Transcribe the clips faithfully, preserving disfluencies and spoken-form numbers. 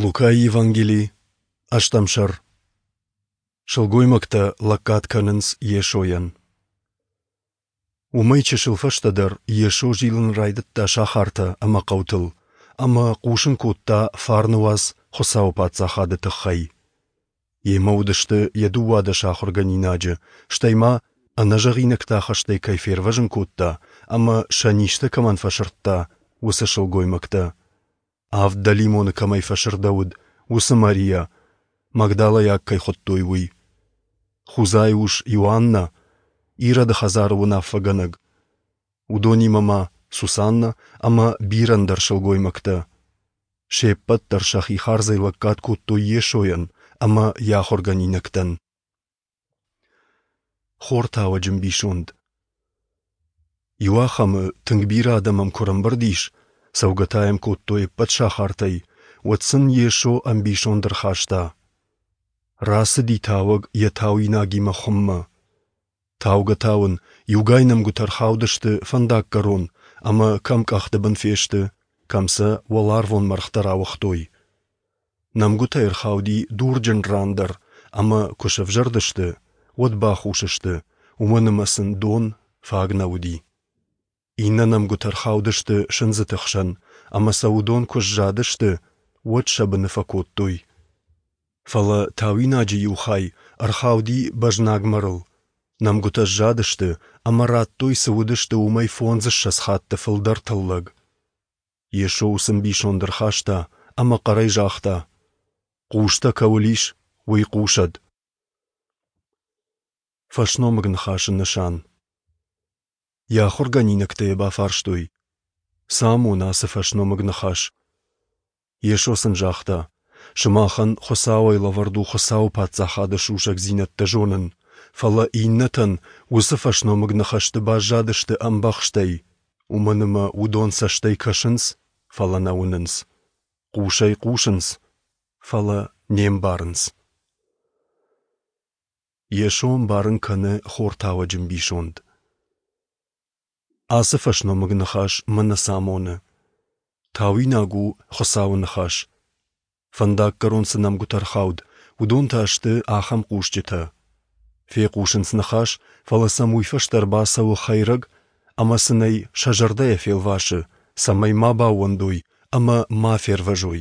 Лукайы Евангели, ӕстӕм сӕр. Сылгоймӕгтӕ лӕггад кӕнынц Йесойӕн. Уымӕй чысыл фӕстӕдӕр Йесо зилын райдыдта сахартӕ ӕмӕ хъӕутыл ӕмӕ хъусын кодта фарны уац Хуыцауы Паддзахады тыххӕй. Йемӕ уыдысты йӕ дыууадӕс ахуыргӕнинаджы, стӕй ма ӕнӕзӕгъинӕгтӕ хӕстӕй кӕй фервӕзын кодта ӕмӕ сӕ низтӕ кӕмӕн фӕсырдта, уыцы сылгоймӕгтӕ. Авд дӕлимоны кӕмӕй фӕсырдӕуыд, уыцы Мариа, Магдалӕйаг кӕй хуыдтой, уый. Хузайы ус Иоаннӕ, Ироды хӕдзары уынаффӕгӕнӕг. Уыдонимӕ ма Сусаннӕ ӕмӕ бирӕ ӕндӕр сылгоймӕгтӕ. Се ппӕт дӕр сӕхи хардзӕй лӕггад кодтой Йесойӕн ӕмӕ йӕ ахуыргӕнинӕгтӕн. Хортауӕджы ӕмбисонд. Иуахӕмы тынг бирӕ адӕм ӕм куы ӕрӕмбырд ис, цӕугӕ та йӕм кодтой ӕппӕт сахартӕй, уӕд сын Йесо ӕмбисонд ӕрхаста. Рацыди тауӕг йӕ тауинагимӕ хуыммӕ. Таугӕ-тауын иугай нӕмгуытӕ ӕрхаудысты фӕндаггӕрон ӕмӕ кӕм къӕхты бын фесты, кӕм сӕ уӕларвон мӕргътӕ рауыгътой. Нӕмгуытӕ ӕрхауди дурджын ран дӕр ӕмӕ куы сӕвзӕрдысты, уӕд бахус сты, уымӕн ӕмӕ сын дон фаг нӕ уыди. Иннӕ нӕмгуытӕ ӕрхаудысты сындзыты хсӕн, ӕмӕ сӕ уыдон куы сзадысты, уӕд сӕ быны фӕкодтой. Фӕлӕ тауинаджы иу хай ӕрхауди бӕзнаг мӕрыл. Нӕмгуытӕ сзадысты ӕмӕ радтой, цы уыдысты, уымӕй фондзыссӕдз хатты фылдӕр тыллӕг. Йесо уыцы ӕмбисонд ӕрхаста ӕмӕ хъӕрӕй загъта: «Хъустӕ кӕуыл ис, уый хъусӕд!» Фӕсномыг ныхасы нысан. Йӕ ахуыргӕнинӕгтӕ йӕ бафарстой: «Цы амоны ацы фӕсномыг ныхас?» Йесо сын загъта: «Сымахӕн Хуыцауӕй лӕвӕрд у Хуыцауы Паддзахады сусӕгдзинӕдтӕ зонын, фӕлӕ иннӕтӕн уыцы фӕсномыг ныхӕсты баззадысты ӕмбӕхстӕй, уымӕн ӕмӕ уыдон цӕстӕй кӕсынц, фӕлӕ нӕ уынынц, хъусӕй хъусынц, фӕлӕ не мбарынц». Йесо ӕмбарын кӕны хортауӕджы ӕмбисонд. Ацы фӕсномыг ныхас мӕнӕ цы амоны. Тауинаг у Хуыцауы ныхас. Фӕндаггӕрон цы нӕмгуытӕ ӕрхауд, уыдон та сты ахӕм хъусджытӕ. Фехъусынц ныхас, фӕлӕ сӕм уый фӕстӕ ӕрбацӕуы хӕйрӕг ӕмӕ сын ӕй сӕ зӕрдӕйӕ фелвасы, цӕмӕй ма баууӕндой ӕмӕ ма фервӕзой.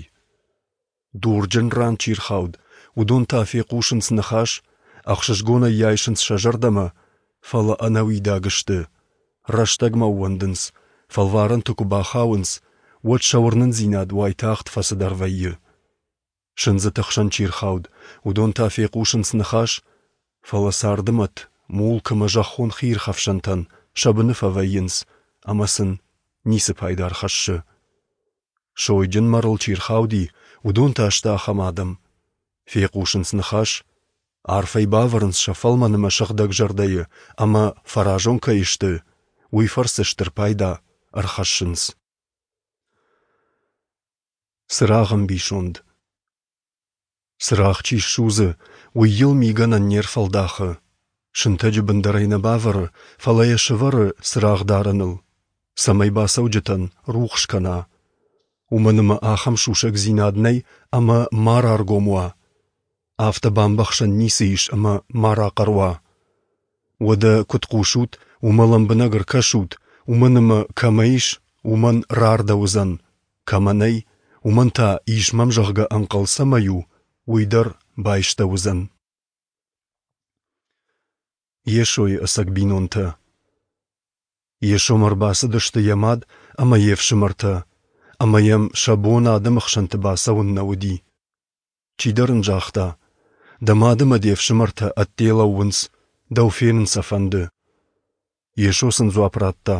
Дурджын ран чи рхауд, уыдон та фехъусынц ныхас, ӕхсызгонӕй йӕ айсынц сӕ зӕрдӕмӕ, фӕлӕ ӕнӕуидаг сты. Рӕстӕгмӕ ӕууӕндынц, фӕлварӕнты куы бахауынц, уӕд сӕ уырнындзинад уайтагъд фӕцыдӕр вӕййы. Сындзыты хсӕн чи рхауд, уыдон та фехъусынц ныхас, фӕлӕ царды мӕт, мулк ӕмӕ зӕххон хиирхӕфсӕнтӕн сӕ быны фӕвӕййынц ӕмӕ сын ницы пайда ӕрхӕссы. Сойджын мӕрыл чи рхауди, уыдон та сты ахӕм адӕм. Фехъусынц ныхас, арф ӕй бавӕрынц сӕ фӕлмӕн ӕмӕ сыгъдӕг зӕрдӕйы ӕмӕ фӕразон кӕй сты, уый фӕрцы стыр пайда ӕрхӕссынц. Цырагъ ӕмбисонд. Цырагъ чи ссудзы, уый йыл мигӕнӕн не рфӕлдахы. Сынтӕджы бын дӕр ӕй нӕ бавӕры, фӕлӕ йӕ сӕвӕры цырагъдарӕныл, цӕмӕй бацӕуджытӕн рухс кӕна. Уымӕн ӕмӕ ахӕм сусӕгдзинад нӕй ӕмӕ ма раргом уа. Афтӕ бамбӕхсӕн ницы ис ӕмӕ ма рахъӕр уа. Уӕдӕ куыд хъусут, уымӕ лӕмбынӕг ӕркӕсут, уымӕн ӕмӕ кӕмӕ ис, уымӕн рардӕуыдзӕн, кӕмӕ нӕй, уымӕн та ис мӕм зӕгъгӕ ӕнхъӕл цӕмӕй у, уый дӕр байстӕуыдзӕн. Йесойы ӕцӕг бинонтӕ. Йесомӕ ӕрбацыдысты йӕ мад ӕмӕ йе фсымӕртӕ, ӕмӕ йӕм сӕ бон адӕмы хсӕнты бацӕуын нӕ уыди. Чидӕр ын загъта: «Дӕ мад ӕмӕ де фсымӕртӕ ӕдде лӕууынц, дӕу фенын сӕ фӕнды». Йесо сын дзуапп радта: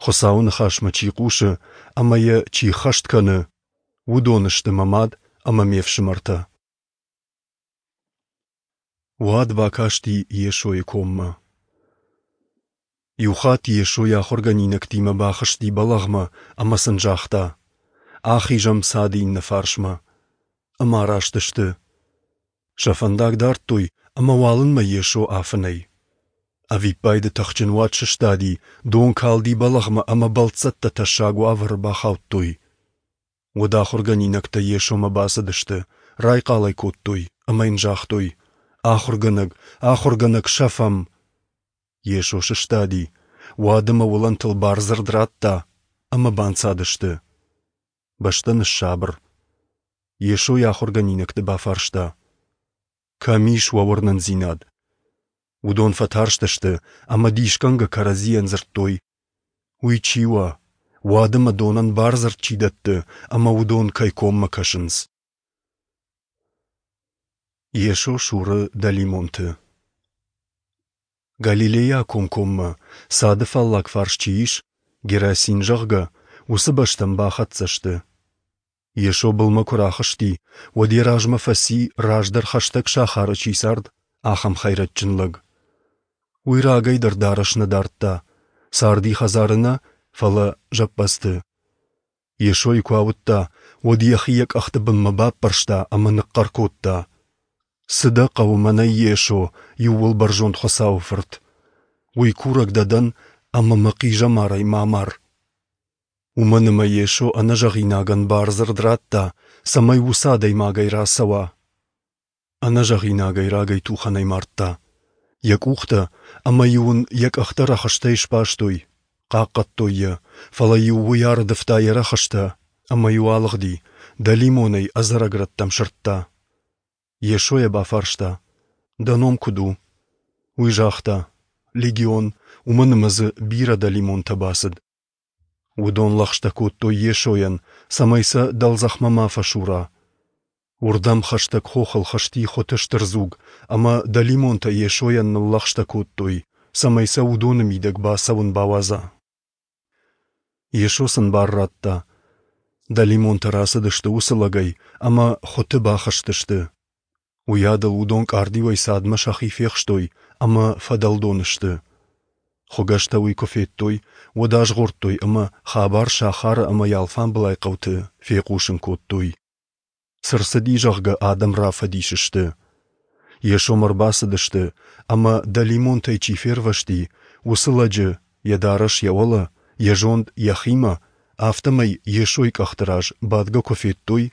«Хуыцауы ныхасмӕ чи хъусы ӕмӕ йӕ чи ххӕст кӕны, уыдон сты мӕ мад ӕмӕ ме фсымӕртӕ». Уӕд бакасти Йесойы коммӕ. Иухатт Йесо йӕ ахуыргӕнинӕгтимӕ бахызти бӕлӕгъмӕ ӕмӕ сын загъта: «Ахизӕм цады иннӕ фарсмӕ». Ӕмӕ араст сты. Сӕ фӕндаг дардтой, ӕмӕ уалынмӕ Йесо афынӕй. Ӕвиппайды тыхджын уад сыстади, дон калди бӕлӕгъмӕ ӕмӕ бӕлццӕттӕ тӕссаг уавӕры бахаудтой. Уӕд ахуыргӕнинӕгтӕ Йесомӕ бацыдысты, райхъал ӕй кодтой ӕмӕ йын загътой: Ахуыргӕнӕг, Ахуыргӕнӕг, сӕфӕм! Йесо сыстади, уад ӕмӕ уылӕнтыл бардзырд радта, ӕмӕ банцадысты. Бӕстӕ ныссабыр. Йесо йӕ ахуыргӕнинӕгты бафарста: Кӕм ис уӕ уырнындзинад? Уыдон фӕтарстысты ӕмӕ дисгӕнгӕ кӕрӕдзийӕн дзырдтой: Уый чи уа, уад ӕмӕ донӕн бардзырд чи дӕтты, ӕмӕ уыдон кӕй коммӕ кӕсынц? Йесо суры дӕлимонты. Галилейы акомкоммӕ, цады фаллаг фарс чи ис, Герасин, зӕгъгӕ, уыцы бӕстӕм бахӕццӕ сты. Йесо былмӕ куы рахызти, уӕд йӕ размӕ фӕци, раздӕр хӕстӕг сахары чи цард, ахӕм хӕйрӕджджын лӕг. Уый рагӕй дӕр дарӕс нӕ дардта, царди хӕдзары нӕ, фӕлӕ зӕппӕдзты. Йесойы куы ауыдта, уӕд йӕхи йӕ къӕхты бынмӕ баппӕрста ӕмӕ ныхъхъӕр кодта: Цы дӕ хъӕуы мӕнӕй, Йесо, Иууылбӕрзонд Хуыцауы Фырт? Уый курӕг дӕ дӕн, ӕмӕ мӕ хъизӕмарӕй ма амар. Уымӕн ӕмӕ Йесо ӕнӕзӕгъинагӕн бардзырд радта, цӕмӕй уыцы адӕймагӕй рацӕуа. Ӕнӕзӕгъинагӕй рагӕй тухӕнӕй мардта. Йӕ къухтӕ ӕмӕ-иу ын йӕ къӕхтӕ рӕхыстӕй сбастой, хъахъхъӕдтой йӕ, фӕлӕ-иу уый ӕрдывта йӕ рӕхыстӕ ӕмӕ-иу алыгъди, дӕлимонӕй ӕдзӕрӕг рӕттӕм сырдта. Йесо йӕ бафарста: Дӕ ном куыд у? Уый загъта: Легион, уымӕн ӕмӕ дзы бирӕ дӕлимонтӕ бацыд. Уыдон лӕгъстӕ кодтой Йесойӕн, цӕмӕй сӕ дӕлдзӕхмӕ ма фӕсура. Уырдӕм хӕстӕг хохыл хызти хуыты стыр дзуг, ӕмӕ дӕлимонтӕ Йесойӕн ныллӕгъстӕ кодтой, цӕмӕй сӕ уыдоны мидӕг бацӕуын бауадза. Йесо сын бар радта. Дӕлимонтӕ рацыдысты уыцы лӕгӕй ӕмӕ хуыты бахызтысты. Уыйадыл уыдон къардиуӕй цадмӕ сӕхи фехстой ӕмӕ фӕдӕлдон сты. Хуыгӕстӕ уый куы федтой, уӕд азгъордтой ӕмӕ хабар сахары ӕмӕ йӕ алфамбылай хъӕуты фехъусын кодтой. Цы рцыди, зӕгъгӕ, адӕм рафӕдис сты. Йесомӕ ӕрбацыдысты, ӕмӕ дӕлимонтӕй чи фервӕзти, уыцы лӕджы, йӕ дарӕс йӕ уӕлӕ, йӕ зонд йӕхимӕ, афтӕмӕй Йесойы къӕхты раз бадгӕ куы федтой,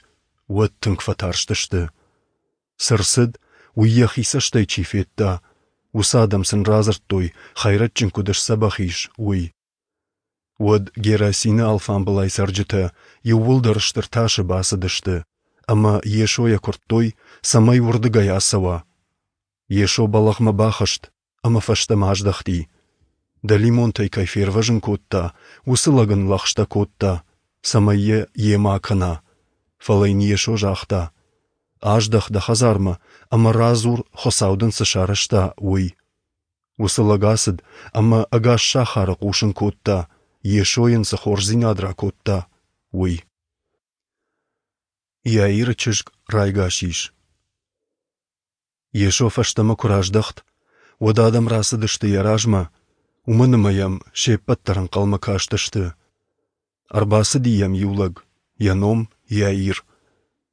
уӕд тынг фӕтарстысты. Цы рцыд, уый йӕхи цӕстӕй чи федта, уыцы адӕм сын радзырдтой, хӕйрӕджджын куыд сдзӕбӕх ис, уый. Уӕд Герасины алфамбылай цӕрджытӕ иууылдӕр стыр тасы бацыдысты, ӕмӕ Йесойӕ куырдтой, цӕмӕй уырдыгӕй ацӕуа. Йесо бӕлӕгъмӕ бахызт ӕмӕ фӕстӕмӕ аздӕхти. Дӕлимонтӕй кӕй фервӕзын кодта, уыцы лӕг ын лӕгъстӕ кодта, цӕмӕй йӕ йемӕ акӕна. Фӕлӕ йын Йесо загъта: Аздӕх дӕ хӕдзармӕ ӕмӕ радзур, Хуыцау дын цы сарӕзта, уый. Уыцы лӕг ацыд ӕмӕ ӕгас сахары хъусын кодта, Йесо йын цы хорздзинад ракодта, уый. Иаиры чызг райгас ис. Йесо фӕстӕмӕ куы раздӕхт, уӕд адӕм рацыдысты йӕ размӕ, уымӕн ӕмӕ йӕм се ппӕт дӕр ӕнхъӕлмӕ кастысты. Ӕрбацыди йӕм иу лӕг, йӕ ном Иаир,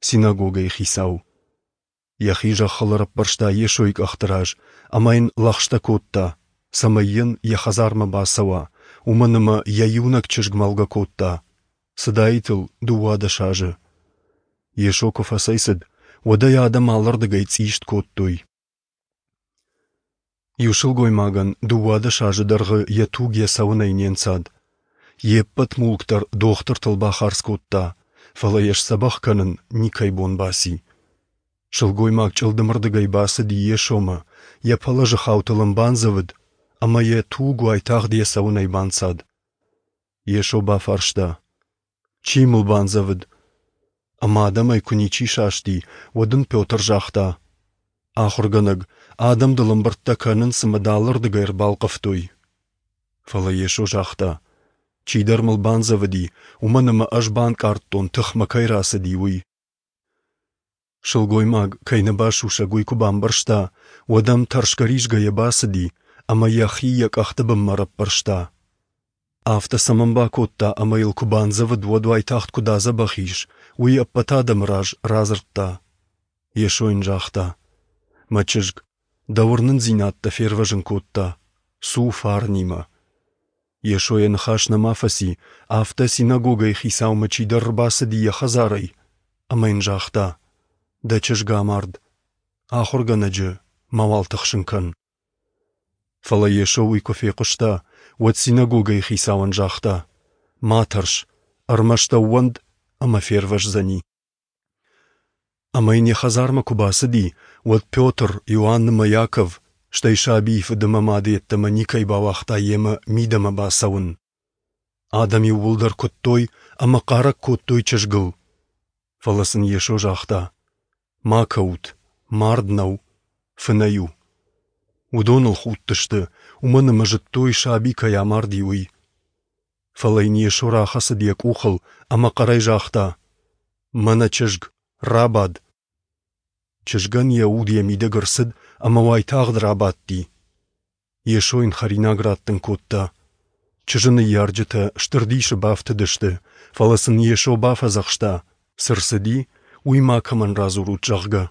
синагогӕйы хицау. Йӕхи зӕххыл ӕрӕппӕрста Йесойы къӕхты раз ӕмӕ йын лӕгъстӕ кодта, цӕмӕй йын йӕ хӕдзармӕ бацӕуа, уымӕн ӕмӕ йӕ иунӕг чызг мӕлгӕ кодта, цыдаид ыл дыууадӕс азы. Йесо куы фӕцӕйцыд, уӕд ӕй адӕм алырдыгӕй цъист кодтой. Иу сылгоймагӕн дыууадӕс азы дӕргъы йӕ туг йӕ цӕуынӕй не нцад. Йе ппӕт мулк дӕр дохтыртыл бахардз кодта, фӕлӕ йӕ сдзӕбӕх кӕнын никӕй бон баци. Сылгоймаг чъылдымырдыгӕй бацыди Йесомӕ, йӕ пӕлӕзы хаутыл ын бандзӕвыд, ӕмӕ йӕ туг уайтагъд йӕ цӕуынӕй банцад. Йесо бафарста: Чи мыл бандзӕвыд? Ӕмӕ адӕмӕй куы ничи састи, уӕд ын Петр загъта: Ахуыргӕнӕг, адӕм дыл ӕмбырдтӕ кӕнынц ӕмӕ дӕ алырдыгӕй ӕрбалхъывтой. Фӕлӕ Йесо загъта: Чидӕр мыл бандзӕвыди, уымӕн ӕмӕ ӕз банкъардтон, тых мӕ кӕй рацыди, уый. Сылгоймаг, кӕй нӕ басусӕг, уый куы бамбӕрста, уӕд ӕм тӕрсгӕ-ризгӕйӕ бацыди ӕмӕ йӕхи йӕ къӕхты бынмӕ ӕрӕппӕрста. Афтӕ цӕмӕн бакодта ӕмӕ йыл куы бандзӕвыд, уӕд уайтагъд куыд адзӕбӕх ис, уый ӕппӕт адӕмы раз радзырдта. Йесо йын загъта: Мӕ чызг, дӕ уырнындзинад дӕ фервӕзын кодта, цу фарнимӕ. Йесо йӕ ныхас нӕма фӕци, афтӕ синагогӕйы хицаумӕ чидӕр ӕрбацыди йӕ хӕдзарӕй ӕмӕ йын загъта: Дӕ чызг амард. Ахуыргӕнӕджы мауал тыхсын кӕн. Фӕлӕ Йесо уый куы фехъуыста, уӕд синагогӕйы хицауӕн загъта: Ма тӕрс, ӕрмӕст ӕууӕнд ӕмӕ фервӕздзӕни. Ӕмӕ йын йӕ хӕдзармӕ куы бацыди, уӕд Петр, Иоанн ӕмӕ Иаков, стӕй сабийы фыд ӕмӕ мады йеддӕмӕ никӕй бауагъта йемӕ мидӕмӕ бацӕуын. Адӕм иууылдӕр куыдтой ӕмӕ хъарӕг кодтой чызгыл. Фӕлӕ сын Йесо загъта: Ма кӕут, мард нӕу, фынӕй у. Уыдон ыл худтысты, уымӕн ӕмӕ зыдтой, саби кӕй амарди, уый. Фӕлӕ йын Йесо рахӕцыд йӕ къухыл ӕмӕ хъӕрӕй загъта: Мӕнӕ чызг, рабад! Чызгӕн йӕ уд йӕ мидӕг ӕрцыд ӕмӕ уайтагъд рабадти. Йесо йын хӕринаг раттын кодта. Чызджы ныййарджытӕ стыр дисы бафтыдысты, фӕлӕ сын Йесо бафӕдзӕхста, цы рцыди, уый макӕмӕн радзурут, зӕгъгӕ.